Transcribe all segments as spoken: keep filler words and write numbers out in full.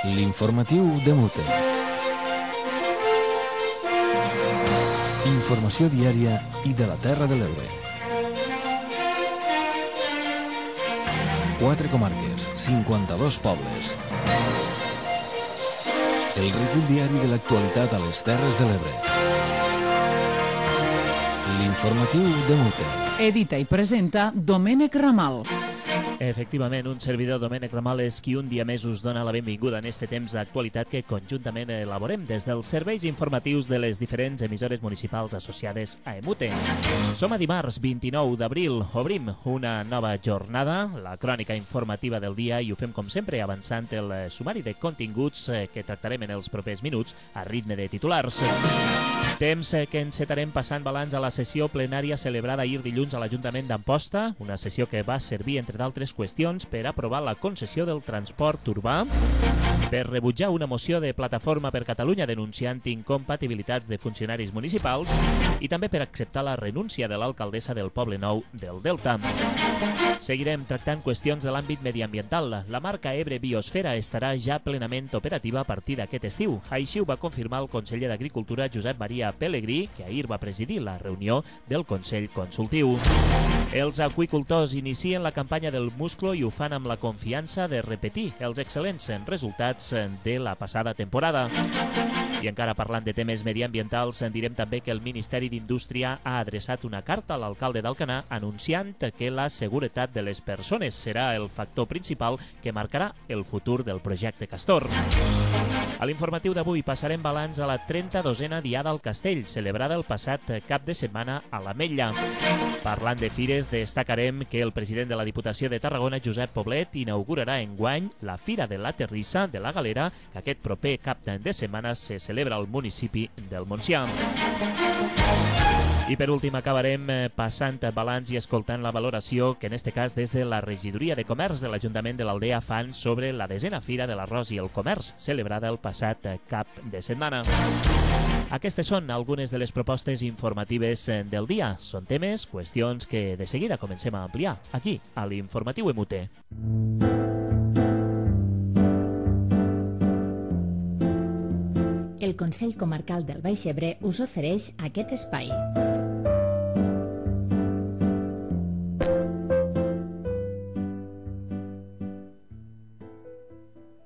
L'informatiu de Mute. Informació diària i de la Terra de l'Ebre. Quatre comarques, cinquanta-dos pobles. El recull diari de l'actualitat a les Terres de l'Ebre. L'informatiu de Mute. Edita i presenta Domènec Ramal. Efectivament, un servidor, Domènec Ramal, és qui un dia més us dona la benvinguda en este temps d'actualitat que conjuntament elaborem des dels serveis informatius de les diferents emissores municipals associades a Emute. Som a dimarts vint-i-nou d'abril, obrim una nova jornada, la crònica informativa del dia, i ho fem com sempre avançant el sumari de continguts que tractarem en els propers minuts a ritme de titulars. Temps que encetarem passant balanç a la sessió plenària celebrada ahir dilluns a l'Ajuntament d'Amposta, una sessió que va servir, entre d'altres qüestions, per aprovar la concessió del transport urbà, per rebutjar una moció de Plataforma per Catalunya denunciant incompatibilitats de funcionaris municipals i també per acceptar la renúncia de l'alcaldessa del Poble Nou del Delta. Seguirem tractant qüestions de l'àmbit mediambiental. La marca Ebre Biosfera estarà ja plenament operativa a partir d'aquest estiu. Així ho va confirmar el conseller d'Agricultura, Josep Maria Pelegrí, que ahir va presidir la reunió del Consell Consultiu. Els aqüicultors inicien la campanya del musclo i ho fan amb la confiança de repetir els excel·lents resultats de la passada temporada. I encara parlant de temes mediambientals, direm també que el Ministeri d'Indústria ha adreçat una carta a l'alcalde d'Alcanar anunciant que la seguretat de les persones serà el factor principal que marcarà el futur del projecte Castor. A l'informatiu d'avui passarem balanç a la trenta-dosena Diada al Castell, celebrada el passat cap de setmana a l'Ametlla. Parlant de fires, destacarem que el president de la Diputació de Tarragona, Josep Poblet, inaugurarà enguany la Fira de la Terrissa de la Galera, que aquest proper cap de setmana se celebra al municipi del Montsià. I per últim acabarem passant balanç i escoltant la valoració que en este cas des de la Regidoria de Comerç de l'Ajuntament de l'Aldea fan sobre la desena Fira de l'Arròs i el Comerç, celebrada el passat cap de setmana. Aquestes són algunes de les propostes informatives del dia. Són temes, qüestions que de seguida comencem a ampliar aquí, a l'Informatiu Emute. El Consell Comarcal del Baix Ebre us ofereix aquest espai.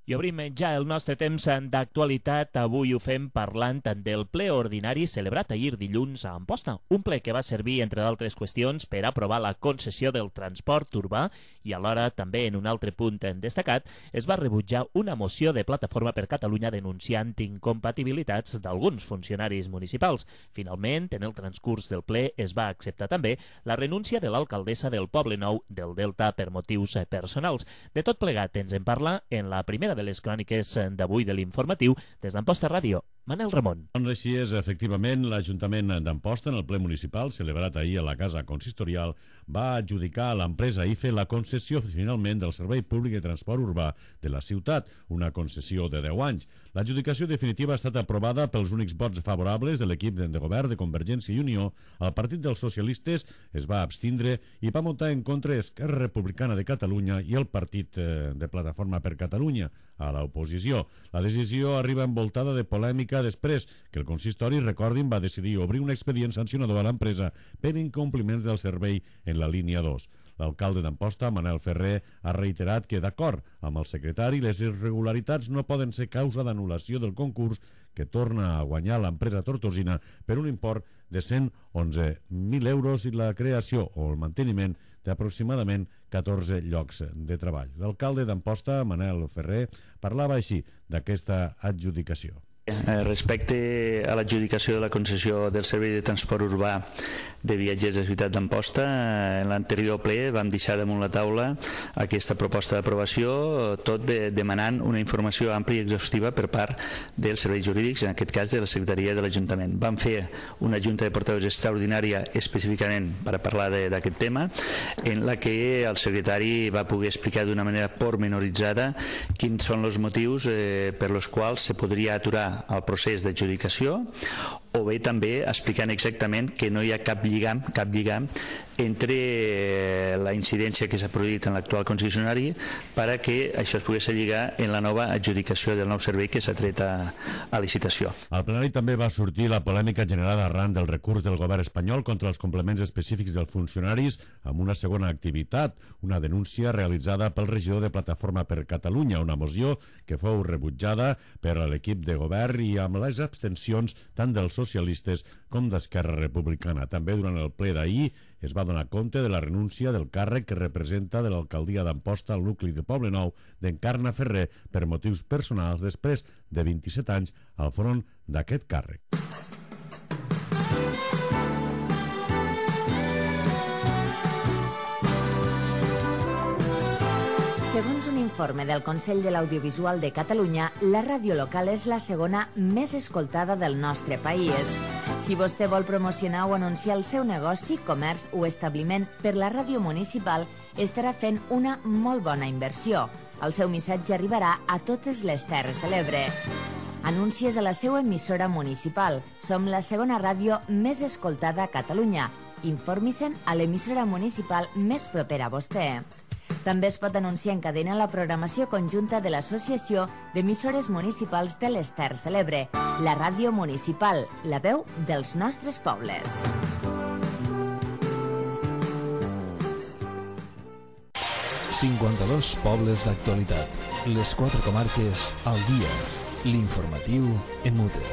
I obrim ja el nostre temps d'actualitat. Avui ho fem parlant del ple ordinari celebrat ahir dilluns a Amposta. Un ple que va servir, entre d'altres qüestions, per aprovar la concessió del transport urbà i alhora, també en un altre punt destacat, es va rebutjar una moció de Plataforma per Catalunya denunciant incompatibilitats d'alguns funcionaris municipals. Finalment, en el transcurs del ple es va acceptar també la renúncia de l'alcaldessa del Poble Nou del Delta per motius personals. De tot plegat ens en parla en la primera de les cròniques d'avui de l'informatiu des d'Amposta Ràdio. Manel Ramon. Doncs així és, efectivament, l'Ajuntament d'Amposta, en el ple municipal celebrat ahir a la Casa Consistorial, va adjudicar a l'empresa I F E la concessió finalment del Servei Públic de Transport Urbà de la ciutat, una concessió de deu anys. L'adjudicació definitiva ha estat aprovada pels únics vots favorables de l'equip de govern de Convergència i Unió. El Partit dels Socialistes es va abstindre i va votar en contra Esquerra Republicana de Catalunya i el Partit de Plataforma per Catalunya a l'oposició. La decisió arriba envoltada de polèmica després que el consistori, recordin, va decidir obrir un expedient sancionador a l'empresa per incompliments del servei en la línia dos. L'alcalde d'Amposta, Manel Ferrer, ha reiterat que, d'acord amb el secretari, les irregularitats no poden ser causa d'anul·lació del concurs que torna a guanyar l'empresa tortosina per un import de cent onze mil euros i la creació o el manteniment d'aproximadament catorze llocs de treball. L'alcalde d'Amposta, Manel Ferrer, parlava així d'aquesta adjudicació. Respecte a l'adjudicació de la concessió del servei de transport urbà de viatgers de la ciutat d'Amposta, en l'anterior ple vam deixar damunt la taula aquesta proposta d'aprovació, tot de, demanant una informació àmplia i exhaustiva per part dels serveis jurídics, en aquest cas de la Secretaria de l'Ajuntament. Vam fer una junta de portaveus extraordinària específicament per a parlar d'aquest tema, en la que el secretari va poder explicar d'una manera pormenoritzada quins són els motius eh, per els quals se podria aturar el procés d'adjudicació, o bé també explicant exactament que no hi ha cap lligam, cap lligam entre la incidència que s'ha produït en l'actual concessionari per a que això es pogués lligar en la nova adjudicació del nou servei que s'ha tret a, a licitació. Al plenari també va sortir la polèmica generada arran del recurs del govern espanyol contra els complements específics dels funcionaris amb una segona activitat, una denúncia realitzada pel regidor de Plataforma per Catalunya, una moció que fou rebutjada per l'equip de govern i amb les abstencions tant dels socialistes com d'Esquerra Republicana. També durant el ple d'ahir es va donar compte de la renúncia del càrrec que representa de l'alcaldia d'Amposta al nucli de Poblenou d'Encarna Ferrer per motius personals després de vint-i-set anys al front d'aquest càrrec. Segons un informe del Consell de l'Audiovisual de Catalunya, la ràdio local és la segona més escoltada del nostre país. Si vostè vol promocionar o anunciar el seu negoci, comerç o establiment per la ràdio municipal, estarà fent una molt bona inversió. El seu missatge arribarà a totes les Terres de l'Ebre. Anuncies a la seva emissora municipal. Som la segona ràdio més escoltada a Catalunya. Informi-se'n a l'emissora municipal més propera a vostè. També es pot anunciar en cadena la programació conjunta de l'Associació d'Emissores Municipals de les Terres de l'Ebre, la ràdio municipal, la veu dels nostres pobles. cinquanta-dos pobles d'actualitat. Les quatre comarques al dia. L'informatiu en Mute.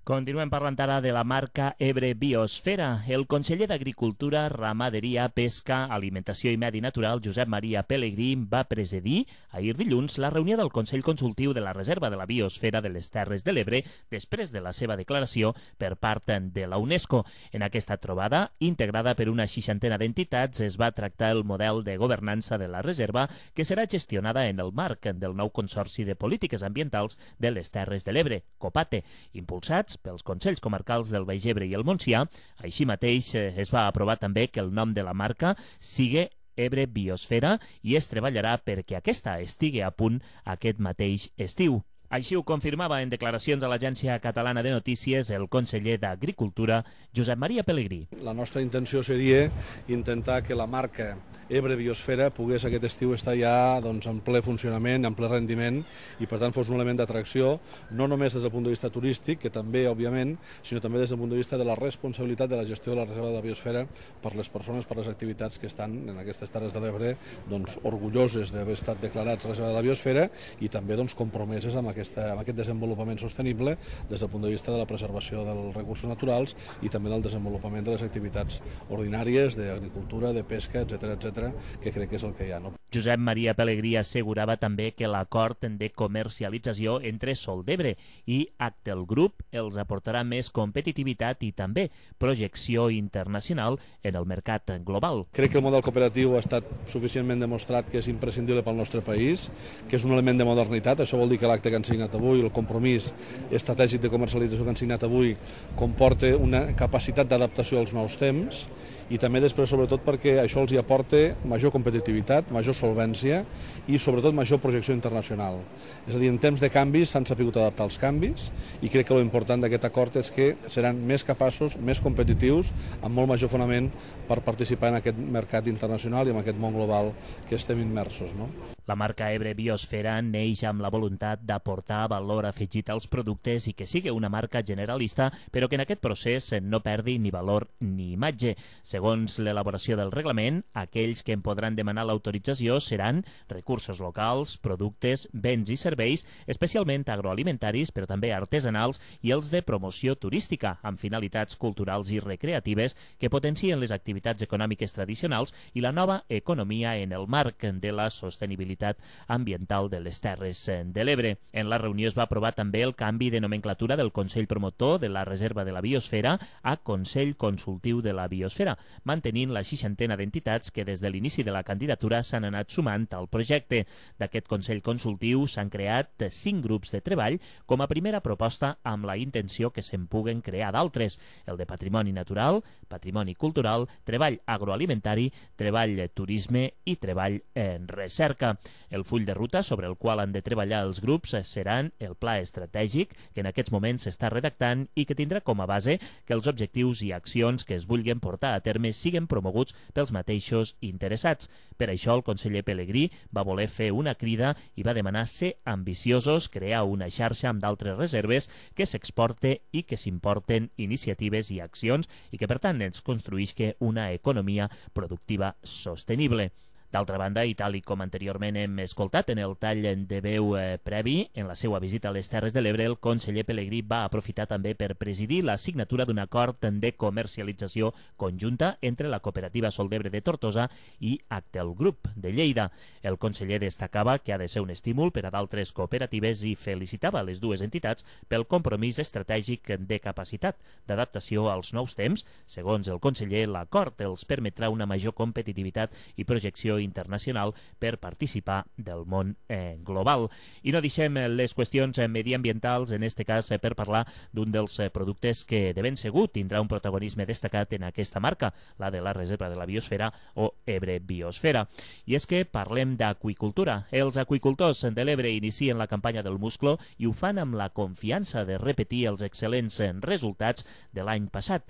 Continuem parlant ara de la marca Ebre Biosfera. El conseller d'Agricultura, Ramaderia, Pesca, Alimentació i Medi Natural, Josep Maria Pelegrí, va presidir ahir dilluns la reunió del Consell Consultiu de la Reserva de la Biosfera de les Terres de l'Ebre després de la seva declaració per part de la UNESCO. En aquesta trobada, integrada per una seixantena d'entitats, es va tractar el model de governança de la reserva que serà gestionada en el marc del nou Consorci de Polítiques Ambientals de les Terres de l'Ebre, COPATE, impulsats pels Consells Comarcals del Baix Ebre i el Montsià. Així mateix es va aprovar també que el nom de la marca sigui Ebre Biosfera i es treballarà perquè aquesta estigui a punt aquest mateix estiu. Així ho confirmava en declaracions a l'Agència Catalana de Notícies el conseller d'Agricultura, Josep Maria Pelegrí. La nostra intenció seria intentar que la marca Ebre Biosfera pogués aquest estiu estar ja doncs, en ple funcionament, en ple rendiment i per tant fos un element d'atracció, no només des del punt de vista turístic, que també òbviament, sinó també des del punt de vista de la responsabilitat de la gestió de la reserva de la biosfera per les persones, per les activitats que estan en aquestes Terres de l'Ebre doncs, orgulloses d'haver estat declarats reserva de la biosfera i també doncs, compromeses amb aquest Aquesta, amb aquest desenvolupament sostenible des del punt de vista de la preservació dels recursos naturals i també del desenvolupament de les activitats ordinàries d'agricultura, de pesca, etcètera, etcètera, que crec que és el que hi ha. No? Josep Maria Pelegrí assegurava també que l'acord de comercialització entre Sol d'Ebre i Actel Group els aportarà més competitivitat i també projecció internacional en el mercat global. Crec que el model cooperatiu ha estat suficientment demostrat que és imprescindible pel nostre país, que és un element de modernitat. Això vol dir que l'acte que han signat avui, el compromís estratègic de comercialització que han signat avui, comporta una capacitat d'adaptació als nous temps i també després, sobretot, perquè això els hi aporta major competitivitat, major solvència i, sobretot, major projecció internacional. És a dir, en temps de canvis s'han sabut adaptar als canvis i crec que l'important d'aquest acord és que seran més capaços, més competitius, amb molt major fonament per participar en aquest mercat internacional i en aquest món global que estem immersos. No? La marca Ebre Biosfera neix amb la voluntat d'aportar valor afegit als productes i que sigui una marca generalista, però que en aquest procés no perdi ni valor ni imatge. Segons l'elaboració del reglament, aquells que en podran demanar l'autorització seran recursos locals, productes, béns i serveis, especialment agroalimentaris, però també artesanals, i els de promoció turística, amb finalitats culturals i recreatives que potencien les activitats econòmiques tradicionals i la nova economia en el marc de la sostenibilitat ambiental de les Terres de l'Ebre. En la reunió es va aprovar també el canvi de nomenclatura del Consell Promotor de la Reserva de la Biosfera a Consell Consultiu de la Biosfera, mantenint la seixantena d'entitats que des de l'inici de la candidatura s'han anat sumant al projecte. D'aquest Consell Consultiu s'han creat cinc grups de treball com a primera proposta amb la intenció que se'n puguen crear d'altres: el de patrimoni natural, patrimoni cultural, treball agroalimentari, treball turisme i treball en recerca. El full de ruta sobre el qual han de treballar els grups seran el pla estratègic que en aquests moments s'està redactant i que tindrà com a base que els objectius i accions que es vulguin portar a terme siguen promoguts pels mateixos interessats. Per això el conseller Pelegrí va voler fer una crida i va demanar ser ambiciosos, crear una xarxa amb d'altres reserves que s'exporte i que s'importen iniciatives i accions i que per tant ens construïsca una economia productiva sostenible. D'altra banda, i tal i com anteriorment hem escoltat en el tall de veu eh, previ, en la seva visita a les Terres de l'Ebre, el conseller Pelegrí va aprofitar també per presidir la signatura d'un acord de comercialització conjunta entre la cooperativa Sol d'Ebre de Tortosa i Actel Group de Lleida. El conseller destacava que ha de ser un estímul per a d'altres cooperatives i felicitava les dues entitats pel compromís estratègic de capacitat d'adaptació als nous temps. Segons el conseller, l'acord els permetrà una major competitivitat i projecció internacional per participar del món eh, global. I no deixem les qüestions mediambientals, en este cas eh, per parlar d'un dels eh, productes que de ben segur tindrà un protagonisme destacat en aquesta marca, la de la Reserva de la Biosfera o Ebre Biosfera. I és que parlem d'aqüicultura. Els aqüicultors de l'Ebre inicien la campanya del musclo i ho fan amb la confiança de repetir els excel·lents resultats de l'any passat.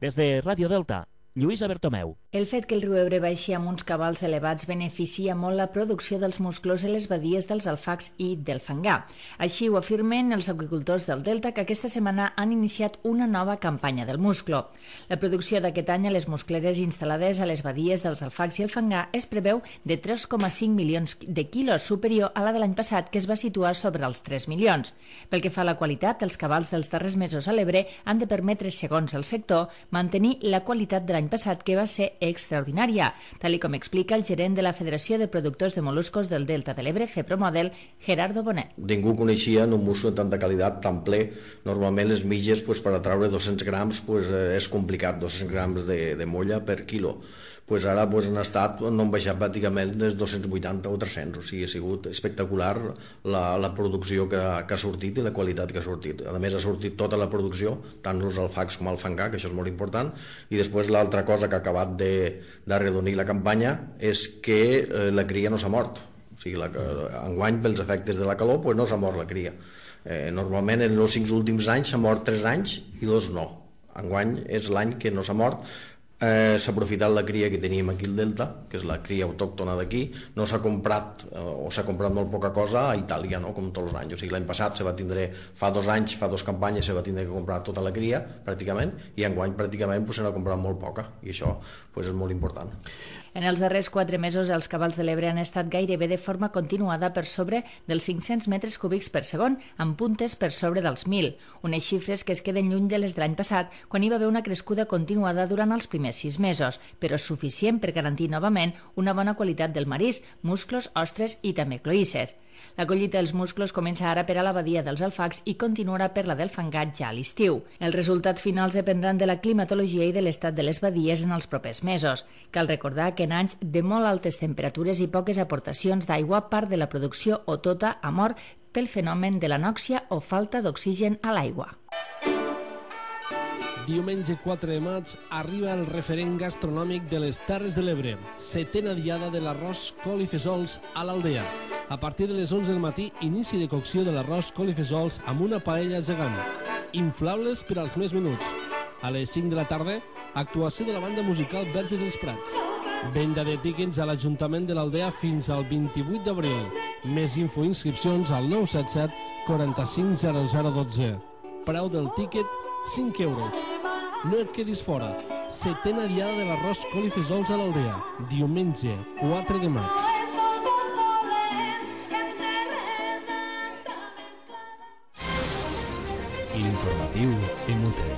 Des de Ràdio Delta, Lluïsa Bertomeu. El fet que el riu Ebre baixi amb uns cabals elevats beneficia molt la producció dels musclos en les badies dels alfacs i del fangar. Així ho afirmen els aqüicultors del Delta, que aquesta setmana han iniciat una nova campanya del musclo. La producció d'aquest any a les muscleres instal·lades a les badies dels alfacs i el fangar es preveu de tres coma cinc milions de quilos, superior a la de l'any passat, que es va situar sobre els tres milions. Pel que fa a la qualitat, els cabals dels darrers mesos a l'Ebre han de permetre, segons el sector, mantenir la qualitat de l'any passat, que va ser extraordinària, tal i com explica el gerent de la Federació de Productors de Moluscos del Delta de l'Ebre, FEPROMODEL, Gerardo Bonet. Ningú coneixia un musclo de tanta qualitat, tan ple. Normalment les mitges, pues, per a treure dos-cents grams pues, és complicat, dos-cents grams de, de molla per quilo. Pues ara pues, han estat, no han baixat pràcticament des dos-cents vuitanta o tres-cents, o sigui, ha sigut espectacular la, la producció que, que ha sortit i la qualitat que ha sortit. A més, ha sortit tota la producció, tant els alfacs com el fangar, que això és molt important, i després l'altra cosa que ha acabat d'arredonir la campanya és que eh, la cria no s'ha mort. O sigui, la, enguany, pels efectes de la calor, pues, no s'ha mort la cria. Eh, normalment, en els cinc últims anys s'ha mort tres anys i dos no. Enguany és l'any que no s'ha mort. Eh, s'ha aprofitat la cria que teníem aquí al Delta, que és la cria autòctona d'aquí. No s'ha comprat, eh, o s'ha comprat molt poca cosa a Itàlia, no? Com tots els anys. O sigui, l'any passat se va tindre, fa dos anys, fa dos campanyes se va tindre que comprar tota la cria, pràcticament, i enguany pràcticament pues, se n'ha comprat molt poca, i això pues, és molt important. En els darrers quatre mesos, els cabals de l'Ebre han estat gairebé de forma continuada per sobre dels cinc-cents metres cúbics per segon, amb puntes per sobre dels mil, unes xifres que es queden lluny de les de l'any passat, quan hi va haver una crescuda continuada durant els primers sis mesos, però suficient per garantir novament una bona qualitat del marisc, musclos, ostres i també cloïsses. La collita dels musclos comença ara per a la badia dels alfacs i continuarà per la del fangar ja a l'estiu. Els resultats finals dependran de la climatologia i de l'estat de les badies en els propers mesos. Cal recordar que en anys de molt altes temperatures i poques aportacions d'aigua, part de la producció o tota ha mort pel fenomen de l'anòxia o falta d'oxigen a l'aigua. Diumenge quatre de maig arriba el referent gastronòmic de les Terres de l'Ebre, setena diada de l'arròs col i fesols a l'Aldea. A partir de les onze del matí, inici de cocció de l'arròs col i fesols amb una paella gegant. Inflables per als més menuts. A les cinc de la tarda, actuació de la banda musical Verge dels Prats. Venda de tíquets a l'Ajuntament de l'Aldea fins al vint-i-vuit d'abril. Més info i inscripcions al nou set set quaranta-cinc zero zero dotze. Preu del tíquet, cinc euros. No et quedis fora. Setena diada de l'arròs col i fesols a l'Aldea. Diumenge, quatre de maig. L'informatiu Emute.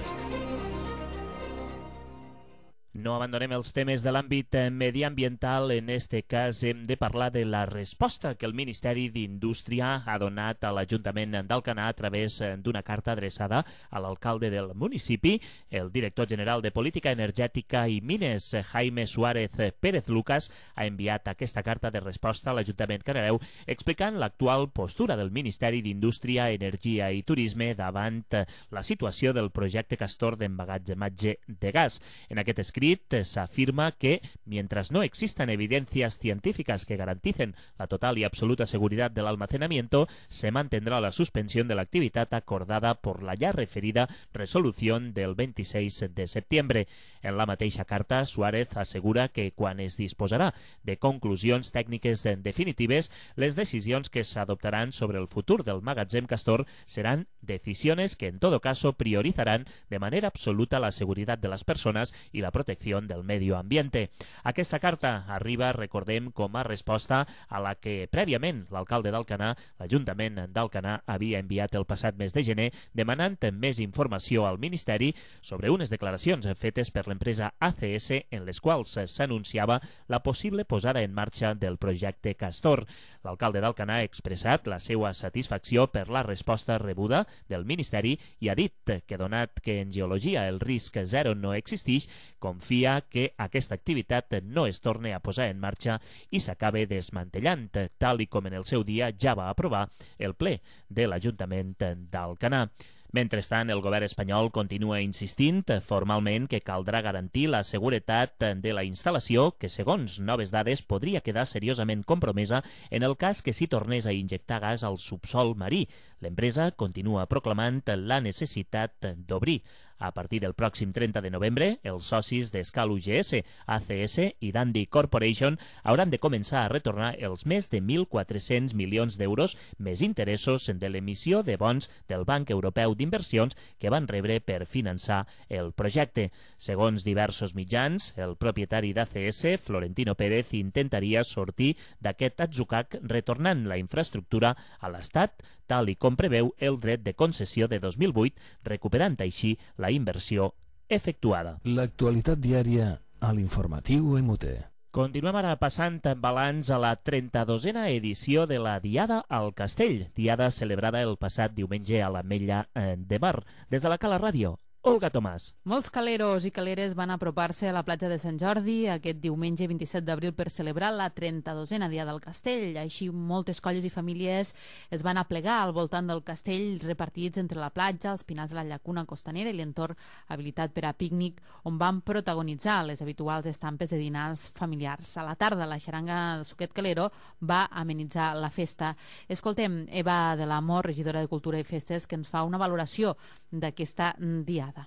No abandonem els temes de l'àmbit mediambiental, en este cas hem de parlar de la resposta que el Ministeri d'Indústria ha donat a l'Ajuntament d'Alcanar a través d'una carta adreçada a l'alcalde del municipi. El director general de Política Energètica i Mines, Jaime Suárez Pérez Lucas, ha enviat aquesta carta de resposta a l'Ajuntament Canareu explicant l'actual postura del Ministeri d'Indústria, Energia i Turisme davant la situació del projecte Castor d'emmagatzematge de gas. En aquest escrit s'afirma que, mientras no existan evidencias científicas que garanticen la total y absoluta seguridad del almacenamiento, se mantendrá la suspensión de la actividad acordada por la ya referida resolución del veintiséis de septiembre. En la mateixa carta, Suárez assegura que quan es disposarà de conclusions tècniques definitives, les decisions que s'adoptaran sobre el futur del magatzem Castor seran decisiones que en todo caso priorizarán de manera absoluta la seguridad de las personas y la protección del medio ambiente. Aquesta carta arriba, recordem, com a resposta a la que prèviament l'alcalde d'Alcanar, l'Ajuntament d'Alcanar, havia enviat el passat mes de gener demanant més informació al Ministeri sobre unes declaracions fetes per l'empresa A C S en les quals s'anunciava la possible posada en marxa del projecte Castor. L'alcalde d'Alcanar ha expressat la seva satisfacció per la resposta rebuda del Ministeri i ha dit que, donat que en geologia el risc zero no existeix, confia que aquesta activitat no es torni a posar en marxa i s'acabe desmantellant, tal i com en el seu dia ja va aprovar el ple de l'Ajuntament d'Alcanar. Mentrestant, el govern espanyol continua insistint formalment que caldrà garantir la seguretat de la instal·lació, que, segons noves dades, podria quedar seriosament compromesa en el cas que s'hi tornés a injectar gas al subsol marí. L'empresa continua proclamant la necessitat d'obrir. A partir del pròxim trenta de novembre, els socis d'Escal U G S, A C S i Dundee Corporation hauran de començar a retornar els més de mil quatre-cents milions d'euros més interessos de l'emissió de bons del Banc Europeu d'Inversions que van rebre per finançar el projecte. Segons diversos mitjans, el propietari d'A C S, Florentino Pérez, intentaria sortir d'aquest atzucac retornant la infraestructura a l'Estat, tal i com preveu el dret de concessió de dos mil vuit, recuperant així la inversió efectuada. L'actualitat diària a l'informatiu M U T. Continuem ara passant balanç a la trenta-dosena edició de la Diada al Castell, diada celebrada el passat diumenge a l'Ametlla de Mar. Des de la Cala Ràdio, Olga Tomàs. Molts caleros i caleres van apropar-se a la platja de Sant Jordi aquest diumenge vint-i-set d'abril per celebrar la trenta-dosena Diada del Castell. Així, moltes colles i famílies es van aplegar al voltant del castell, repartits entre la platja, els pinars de la llacuna costanera i l'entorn habilitat per a pícnic, on van protagonitzar les habituals estampes de dinars familiars. A la tarda, la xaranga de Suquet Calero va amenitzar la festa. Escoltem Eva de l'Amor, regidora de Cultura i Festes, que ens fa una valoració d'aquesta diada.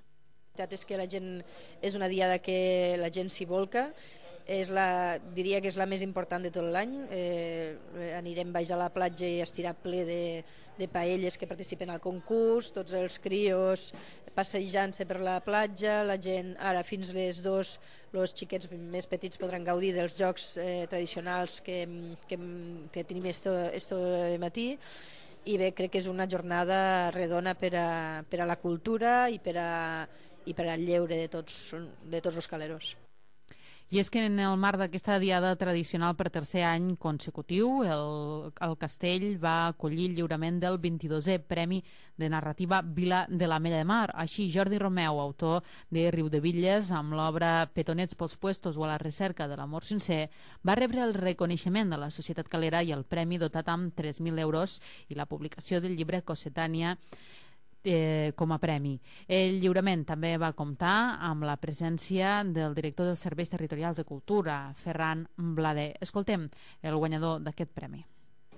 La veritat és que la gent és una diada que la gent s'hi volca, és la, diria que és la més important de tot l'any. Eh, anirem baix a la platja i estirà ple de, de paelles que participen al concurs, tots els crios passejant-se per la platja, la gent, ara fins les dos, els xiquets més petits podran gaudir dels jocs eh, tradicionals que, que, que tenim este matí. I bé, crec que és una jornada redona per a, per a la cultura i per, a, i per al lleure de tots, de tots els caleros. I és que en el marc d'aquesta diada tradicional per tercer any consecutiu, el, el Castell va acollir el lliurament del vint-i-dosè Premi de Narrativa Vila de l'Ametlla de Mar. Així, Jordi Romeu, autor de Riudebitlles, amb l'obra Petonets pels puestos o a la recerca de l'amor sincer, va rebre el reconeixement de la societat calera i el premi dotat amb tres mil euros i la publicació del llibre Cossetània Eh, com a premi. El lliurament també va comptar amb la presència del director dels Serveis Territorials de Cultura, Ferran Blader. Escoltem el guanyador d'aquest premi.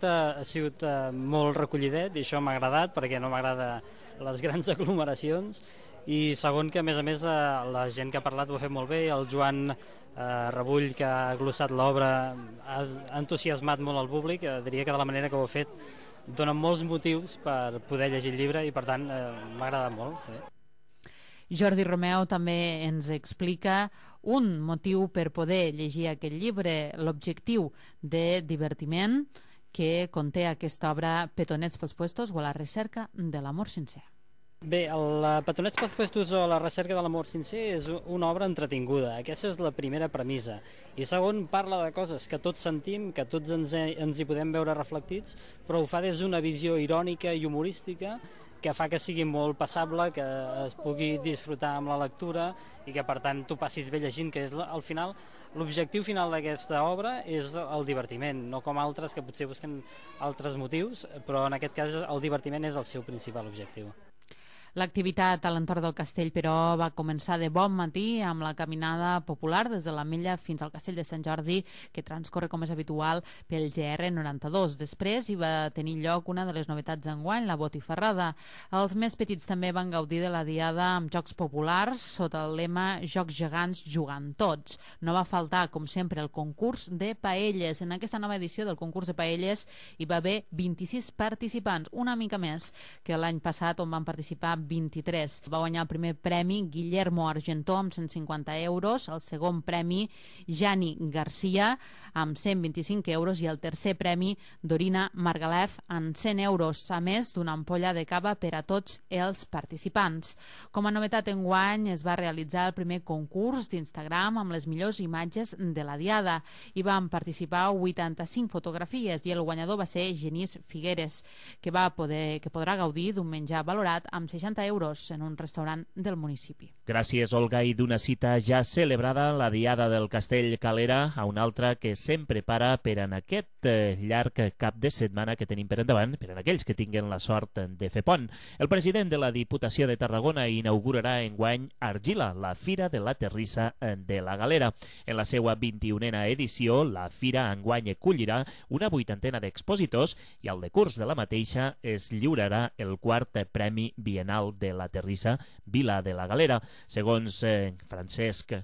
Ha sigut eh, molt recollidet i això m'ha agradat perquè no m'agrada les grans aglomeracions, i segon que a més a més eh, la gent que ha parlat ho ha fet molt bé. El Joan eh, Rebull, que ha glossat l'obra, ha entusiasmat molt al públic. eh, diria que de la manera que ho ha fet donen molts motius per poder llegir el llibre i per tant eh, m'ha agradat molt. Sí. Jordi Romeu també ens explica un motiu per poder llegir aquest llibre, l'objectiu de divertiment que conté aquesta obra Petonets pels puestos o a la recerca de l'amor sincer. Bé, el Petonets pels Puestos o la recerca de l'amor sincer és una obra entretinguda. Aquesta és la primera premissa. I segon, parla de coses que tots sentim, que tots ens, ens hi podem veure reflectits, però ho fa des d'una visió irònica i humorística que fa que sigui molt passable, que es pugui disfrutar amb la lectura i que per tant tu passis bé llegint, que és al final l'objectiu final d'aquesta obra és el divertiment, no com altres que potser busquen altres motius, però en aquest cas el divertiment és el seu principal objectiu. L'activitat a l'entorn del castell, però, va començar de bon matí amb la caminada popular des de l'Ametlla fins al castell de Sant Jordi, que transcorre com és habitual pel G R noranta-dos. Després hi va tenir lloc una de les novetats d'enguany, la botifarrada. Els més petits també van gaudir de la diada amb jocs populars sota el lema Jocs gegants jugant tots. No va faltar, com sempre, el concurs de paelles. En aquesta nova edició del concurs de paelles hi va haver vint-i-sis participants, una mica més que l'any passat, on van participar vint-i-tres. Va guanyar el primer premi Guillermo Argentó amb cent cinquanta euros, el segon premi Jani Garcia amb cent vint-i-cinc euros i el tercer premi Dorina Margalef amb cent euros, a més d'una ampolla de cava per a tots els participants. Com a novetat enguany es va realitzar el primer concurs d'Instagram amb les millors imatges de la diada. Hi van participar vuitanta-cinc fotografies i el guanyador va ser Genís Figueres, que va poder que podrà gaudir d'un menjar valorat amb seixanta euros en un restaurant del municipi. Gràcies, Olga, i d'una cita ja celebrada, la Diada del Castell Calera, a una altra que sempre para per en aquest eh, llarg cap de setmana que tenim per endavant, per en aquells que tinguen la sort de fer pont. El president de la Diputació de Tarragona inaugurarà enguany Argila, la Fira de la Terrissa de la Galera. En la seva vint-i-unena edició, la Fira enguany acollirà una vuitantena d'expositors i al decurs de la mateixa es lliurarà el quart Premi Bienal de la Terrissa Vila de la Galera. Segons eh, Francesc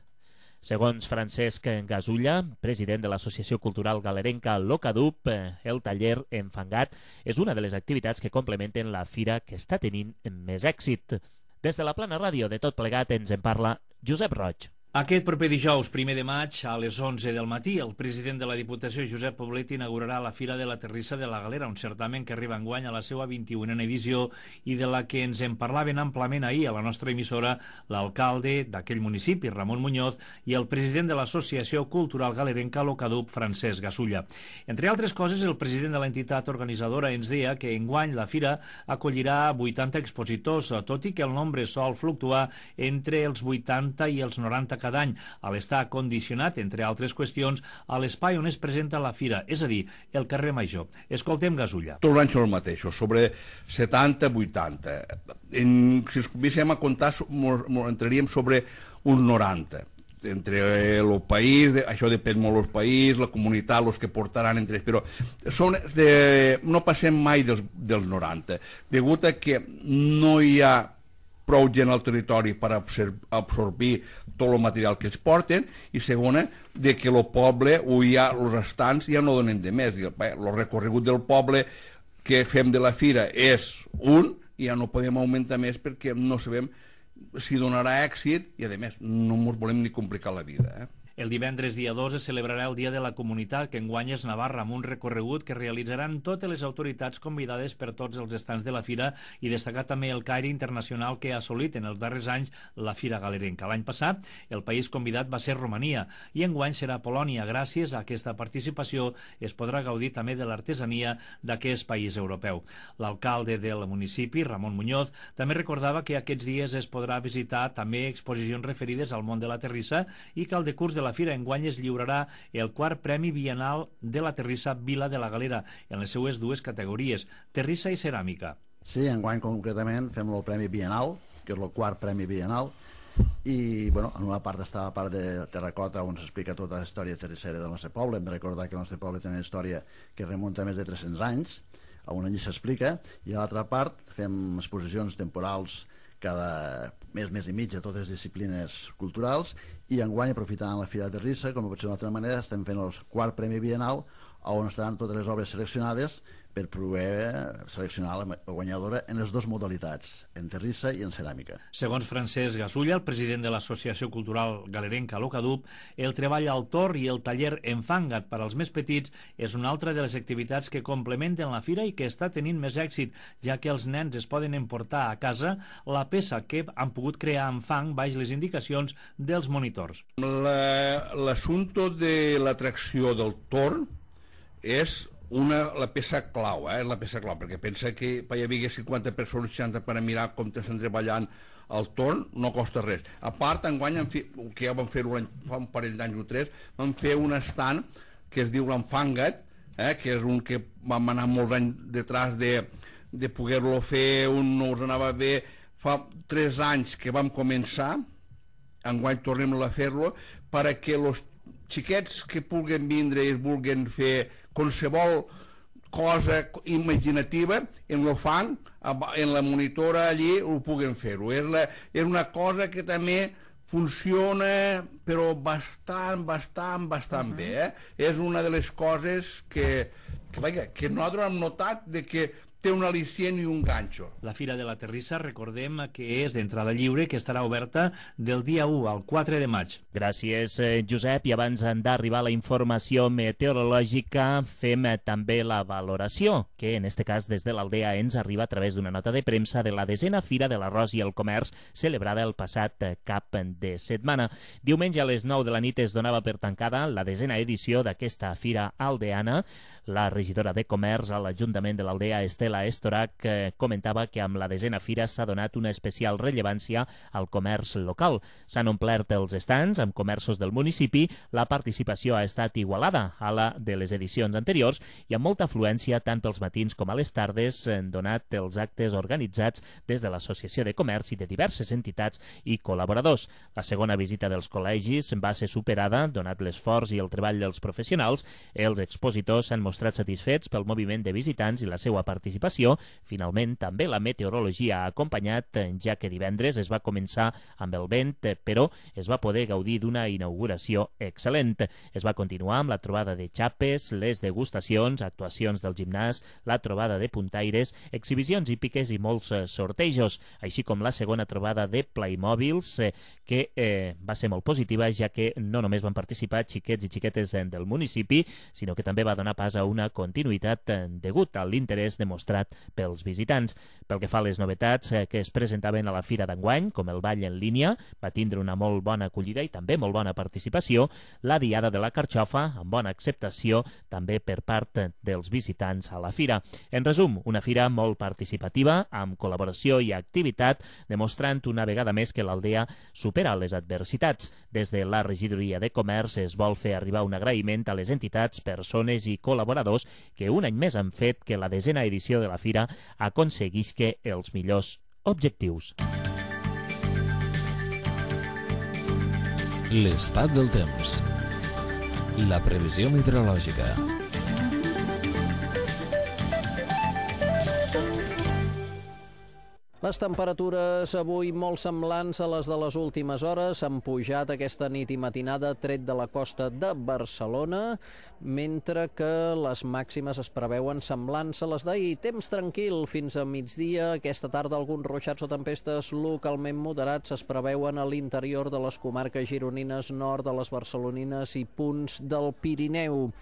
Segons Francesc Gasulla, president de l'Associació Cultural Galerenca Locadup, eh, el taller Enfangat és una de les activitats que complementen la fira que està tenint més èxit. Des de la Plana Ràdio de Tot Plegat ens en parla Josep Roig. Aquest proper dijous, primer de maig, a les onze del matí, el president de la Diputació, Josep Poblet, inaugurarà la Fira de la Terrissa de la Galera, un certamen que arriba enguany a la seva vint-i-unena edició i de la que ens en parlaven amplament ahir a la nostra emissora l'alcalde d'aquell municipi, Ramon Muñoz, i el president de l'Associació Cultural Galerenca Locadup, Francesc Gasulla. Entre altres coses, el president de l'entitat organitzadora ens deia que enguany la Fira acollirà vuitanta expositors, tot i que el nombre sol fluctuar entre els vuitanta i els noranta cada any, a l'estar condicionat, entre altres qüestions, a l'espai on es presenta la fira, és a dir, el carrer Major. Escoltem Gasulla. Tots els anys són els mateixos, sobre setanta vuitanta. En, si ens comencem a comptar, entraríem sobre uns noranta. Entre el país, de, això depèn molt del país, la comunitat, els que portaran entre ells, però són de, no passem mai dels, dels noranta, degut a que no hi ha prou gent al territori per absorbir tot el material que es porten, i segona, de que el poble o ja els estants ja no donen de més. El recorregut del poble que fem de la fira és un i ja no podem augmentar més perquè no sabem si donarà èxit i, a més, no ens volem ni complicar la vida, eh? El divendres dia dos es celebrarà el Dia de la Comunitat, que enguany és Navarra, amb un recorregut que realitzaran totes les autoritats convidades per tots els estants de la Fira, i destacar també el caire internacional que ha assolit en els darrers anys la Fira Galerenca. L'any passat el país convidat va ser Romania i enguany serà Polònia. Gràcies a aquesta participació es podrà gaudir també de l'artesania d'aquest país europeu. L'alcalde del municipi, Ramon Muñoz, també recordava que aquests dies es podrà visitar també exposicions referides al món de la terrissa i que al decurs de la Fira enguany es lliurarà el quart Premi Bienal de la Terrissa Vila de la Galera en les seues dues categories, terrissa i ceràmica. Sí, enguany concretament fem el Premi Bienal, que és el quart Premi Bienal, i bueno, en una part està la part de terracota on s'explica tota la història terrissera del nostre poble. Hem de recordar que el nostre poble té una història que remunta més de tres-cents anys, on allí s'explica, i a l'altra part fem exposicions temporals cada mes, mes i mig a totes les disciplines culturals, i enguany, aprofitant la Fira de Terrissa, com pot ser d'una altra manera, estem fent el quart Premi Bienal, on estaran totes les obres seleccionades per poder seleccionar la guanyadora en les dues modalitats, en terrissa i en ceràmica. Segons Francesc Gasulla, el president de l'Associació Cultural Galerenca Locadup, el treball al tor i el taller Enfanga't per als més petits és una altra de les activitats que complementen la fira i que està tenint més èxit, ja que els nens es poden emportar a casa la peça que han pogut crear amb fang baix les indicacions dels monitors. L'assumpte de l'atracció del torn és una, la peça clau, eh? la peça clau, perquè pensa que hi havia cinquanta persones, seixanta per a mirar com estan treballant el torn, no costa res. A part, enguany, que ja vam fer-ho fa un parell d'anys o tres, vam fer un stand que es diu l'Enfanga't, eh? que és un que vam anar molts anys detrás de, de poder-lo fer, un no us anava bé. Fa tres anys que vam començar, enguany tornem a fer-lo, perquè els xiquets que puguen vindre i es vulguen fer qualsevol cosa imaginativa, en el fang, en la monitora allí, ho puguen fer-ho. És, la, és una cosa que també funciona, però bastant, bastant, bastant uh -huh. bé. Eh? És una de les coses que, que, vaja, que nosaltres hem notat de que té un al·licient i un ganxo. La Fira de la Terrissa, recordem que és d'entrada lliure, que estarà oberta del dia u al quatre de maig. Gràcies, Josep. I abans d'arribar a la informació meteorològica, fem també la valoració, que en este cas des de l'Aldea ens arriba a través d'una nota de premsa de la desena Fira de l'Arròs i el Comerç, celebrada el passat cap de setmana. Diumenge a les nou de la nit es donava per tancada la desena edició d'aquesta Fira aldeana. La regidora de Comerç a l'Ajuntament de l'Aldea, Estela Estorac, eh, comentava que amb la desena fira s'ha donat una especial rellevància al comerç local. S'han omplert els estants amb comerços del municipi, la participació ha estat igualada a la de les edicions anteriors i amb molta afluència tant pels matins com a les tardes, han donat els actes organitzats des de l'Associació de Comerç i de diverses entitats i col·laboradors. La segona visita dels col·legis va ser superada, donat l'esforç i el treball dels professionals. Els expositors s'han mostrat satisfets pel moviment de visitants i la seva participació. Finalment, també la meteorologia ha acompanyat, ja que divendres es va començar amb el vent, però es va poder gaudir d'una inauguració excel·lent. Es va continuar amb la trobada de xapes, les degustacions, actuacions del gimnàs, la trobada de puntaires, exhibicions hípiques i molts sortejos, així com la segona trobada de Playmobils, que eh, va ser molt positiva, ja que no només van participar xiquets i xiquetes del municipi, sinó que també va donar pas a una continuïtat degut a l'interès demostrat pels visitants. Pel que fa a les novetats que es presentaven a la fira d'enguany, com el ball en línia, va tindre una molt bona acollida i també molt bona participació, la diada de la carxofa, amb bona acceptació també per part dels visitants a la fira. En resum, una fira molt participativa, amb col·laboració i activitat, demostrant una vegada més que l'Aldea supera les adversitats. Des de la regidoria de Comerç es vol fer arribar un agraïment a les entitats, persones i col·laboradors que un any més han fet que la desena edició de la fira aconseguisca els millors objectius. L'estat del temps. La previsió meteorològica. Les temperatures avui molt semblants a les de les últimes hores han pujat aquesta nit i matinada tret de la costa de Barcelona, mentre que les màximes es preveuen semblants a les d'ahir. Temps tranquil fins a migdia. Aquesta tarda alguns ruixats o tempestes localment moderats es preveuen a l'interior de les comarques gironines, nord de les barcelonines i punts del Pirineu.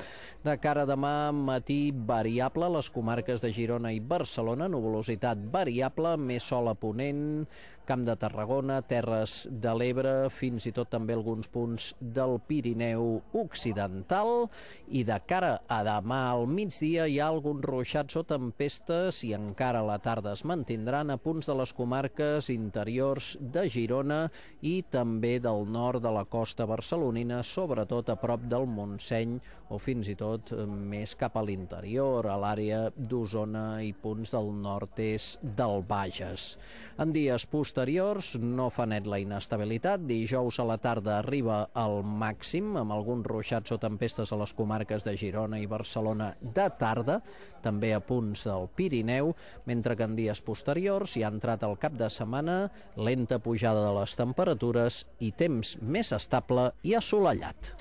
De cara a demà, matí variable a les comarques de Girona i Barcelona, nuvolositat variable, més sol a ponent, Camp de Tarragona, Terres de l'Ebre, fins i tot també alguns punts del Pirineu occidental. I de cara a demà al migdia hi ha alguns ruixats o tempestes i encara a la tarda es mantindran a punts de les comarques interiors de Girona i també del nord de la costa barcelonina, sobretot a prop del Montseny o fins i tot més cap a l'interior, a l'àrea d'Osona i punts del nord-est del Bages. En dies posteriors no fa net la inestabilitat. Dijous a la tarda arriba al màxim, amb alguns ruixats o tempestes a les comarques de Girona i Barcelona de tarda, també a punts del Pirineu, mentre que en dies posteriors hi ha entrat el cap de setmana lenta pujada de les temperatures i temps més estable i assolellat.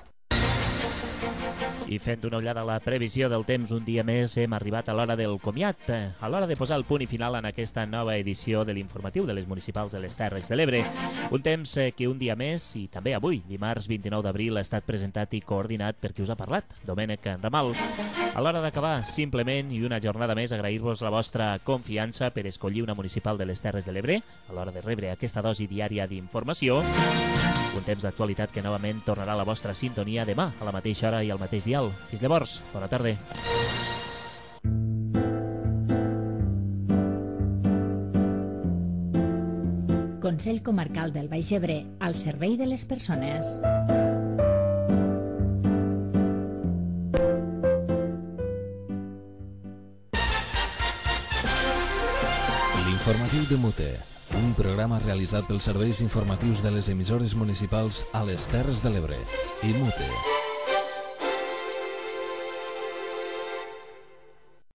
I fent una ullada a la previsió del temps, un dia més hem arribat a l'hora del comiat, a l'hora de posar el punt i final en aquesta nova edició de l'informatiu de les municipals de les Terres de l'Ebre. Un temps que un dia més, i també avui, dimarts vint-i-nou d'abril, ha estat presentat i coordinat per qui us ha parlat, Domènec Ramal. A l'hora d'acabar, simplement, i una jornada més, agrair-vos la vostra confiança per escollir una municipal de les Terres de l'Ebre, a l'hora de rebre aquesta dosi diària d'informació. Un temps d'actualitat que novament tornarà a la vostra sintonia demà, a la mateixa hora i al mateix dial. Fins llavors, bona tarda. Consell Comarcal del Baix Ebre, al servei de les persones. L'informatiu de Mute, un programa realitzat pels serveis informatius de les emissores municipals a les Terres de l'Ebre i Mute.